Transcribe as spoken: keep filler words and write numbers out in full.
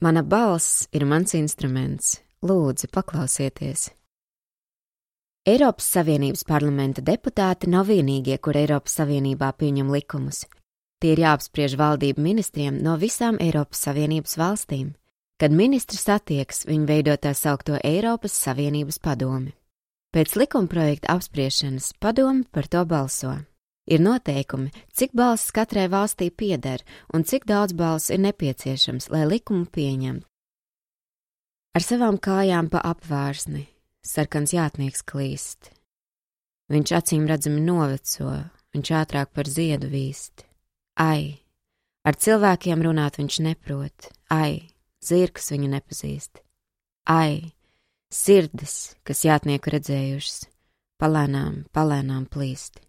Mana balss ir mans instruments. Lūdzu, paklausieties. Eiropas Savienības parlamenta deputāti nav vienīgie, kur Eiropas Savienībā pieņem likumus. Tie ir jāapspriež valdību ministriem no visām Eiropas Savienības valstīm. Kad ministri satieks, viņi veido tā saukto Eiropas Savienības padomi. Pēc likumprojekta apspriešanas padomi par to balso. Ir noteikumi, cik balss katrai valstī pieder un cik daudz balsu ir nepieciešams, lai likumu pieņemtu. Ar savām kājām pa apvārsni sarkans jātnieks klīst. Viņš acīm redzami noveco, viņš ātrāk par ziedu vīst. Ai, ar cilvēkiem runāt viņš neprot, ai, zirgs viņu nepazīst. Ai, sirdis, kas jātnieku redzējušas, palēnām, palēnām plīst.